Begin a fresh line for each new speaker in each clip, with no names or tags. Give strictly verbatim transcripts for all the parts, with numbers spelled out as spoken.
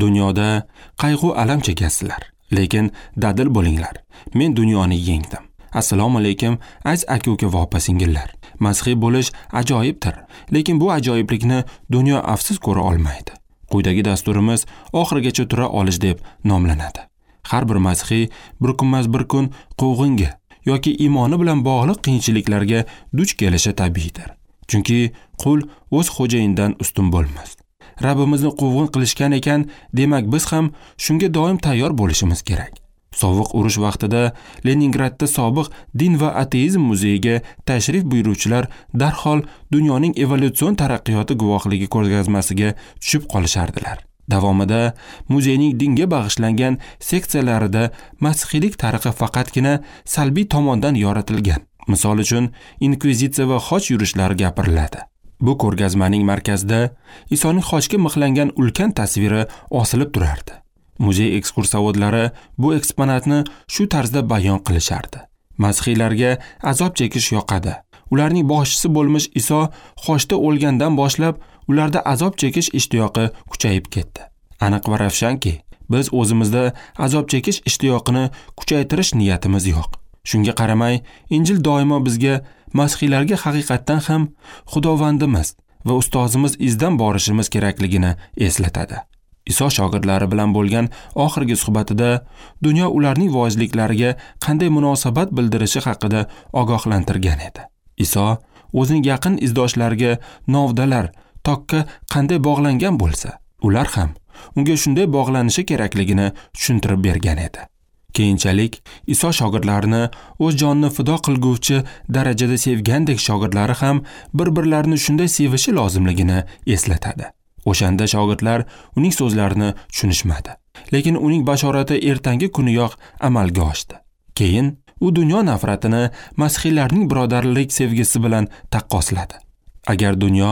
Dunyoda qayg'u alam chekasizlar, lekin dadil bo'linglar. Men dunyoni yengdim. Assalomu alaykum, aziz aka-uka va opa-singillar. Masihiy bo'lish ajoyibdir, lekin bu ajoyiblikni dunyo afsus ko'ra olmaydi. Quyidagi dasturimiz oxirigacha tura olish deb nomlanadi. Har bir masihiy bir kunmas bir kun quvg'inga yoki iymoni bilan bog'liq qiyinchiliklarga duch kelishi tabiiydir. Chunki qul o'z xo'jayinidan ustun bo'lmas. Rabbimizni quvg'in qilishgan ekan, demak biz ham shunga doim tayyor bo'lishimiz kerak. Sovuq urush vaqtida Leningradda sobiq din va ateizm muzeyiga tashrif buyuruvchilar darhol dunyoning evolyutsion taraqqiyoti guvohligi ko'rgazmasiga tushib qolishardilar. Davomida muzeyning dinga bag'ishlangan seksiyalarida masihiylik tarixi faqatgina salbiy tomondan yoritilgan. Misol uchun, inkvizitsiya va xoch yurishlari gapiriladi. Bu ko'rgazmaning markazida Isoning xochga mixlangan ulkan tasviri osilib turardi. Muzey ekskursovodlari bu eksponatni shu tarzda bayon qilishardi. Masihiylarga azob chekish yoqadi. Ularning boshchisi bo'lmish Iso xochda o'lgandan boshlab ularda azob chekish ishtiyoqi kuchayib ketdi. Aniq va ravshanki, biz o'zimizda azob chekish ishtiyoqini kuchaytirish niyatimiz yo'q. Shunga qaramay, Injil doimo bizga masihiylarga haqiqatdan ham Xudovandimiz va ustozimiz izdan borishimiz kerakligini eslatadi. Iso shogirdlari bilan bo'lgan oxirgi suhbatida dunyo ularning voizliklariga qanday munosabat bildirishi haqida ogohlantirgan edi. Iso o'zining yaqin izdoshlariga novdalar tokka qanday bog'langan bo'lsa, ular ham unga shunday bog'lanishi kerakligini tushuntirib bergan edi. Keyinchalik Iso shogirdlarini o'z jonini fido qilguvchi darajada sevgandek shogirdlari ham bir-birlarini shunday sevishi lozimligini eslatadi. O'shanda shogirdlar uning so'zlarini tushunishmadi. Lekin uning bashorati ertangi kuniyoq amalga oshdi. Keyin u dunyo nafratini masihiylarning birodarlik sevgisi bilan taqqosladi. Agar dunyo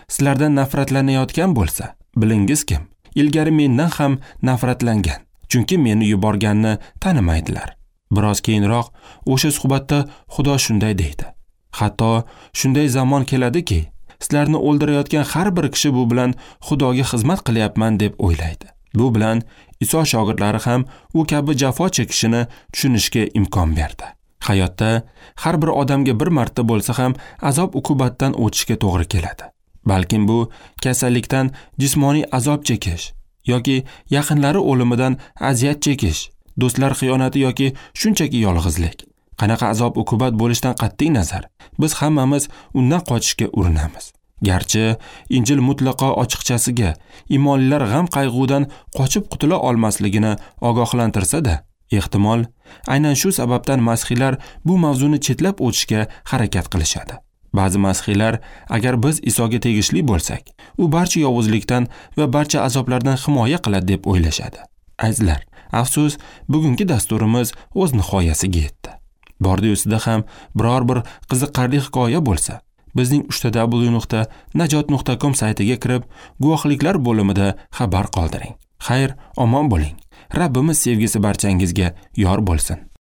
sizlardan nafratlanayotgan bo'lsa, bilingiz kim, ilgari mendan ham nafratlangan, chunki meni yuborganni tanimaydilar. Biroz keyinroq o'sha suhbatda Xudo shunday deydi: Hatto shunday zamon keladiki, sizlarni o'ldirayotgan har bir kishi bu bilan Xudoga xizmat qilyapman deb o'ylaydi. Bu bilan Iso shogirdlari ham u kabi jafo chekishini tushunishga imkon berdi. Hayotda har bir odamga bir marta bo'lsa ham azob uqubatdan o'tishga to'g'ri keladi. Balkim bu kasallikdan jismoniy azob chekish yoki yaqinlari o'limidan aziyat chekish, do'stlar xiyonati yoki shunchaki yolg'izlik. Qanaqa azob uqubat bo'lishidan qat'iy nazar, biz hammamiz undan qochishga urinamiz. Garchi Injil mutlaqo ochiqchasiga iymonlilar g'am qayg'udan qochib qutula olmasligini ogohlantirsa-da, ehtimol aynan shu sababdan masihiylar bu mavzuni chetlab o'tishga harakat qilishadi. Ba'zi masihiylar agar biz Isoga tegishli bo'lsak, u barcha yovuzlikdan va barcha azoblardan himoya qiladi deb o'ylashadi. Azizlar, afsus, bugungi dasturimiz o'z nihoyasiga yetdi. Bordi ustida ham biror bir qiziqarli hikoya bo'lsa, bizning uchta w nuqta najot nuqta com saytiga kirib, guvohliklar bo'limida xabar qoldiring. Xayr, omon bo'ling. Rabbimiz sevgisi barchangizga yor bo'lsin.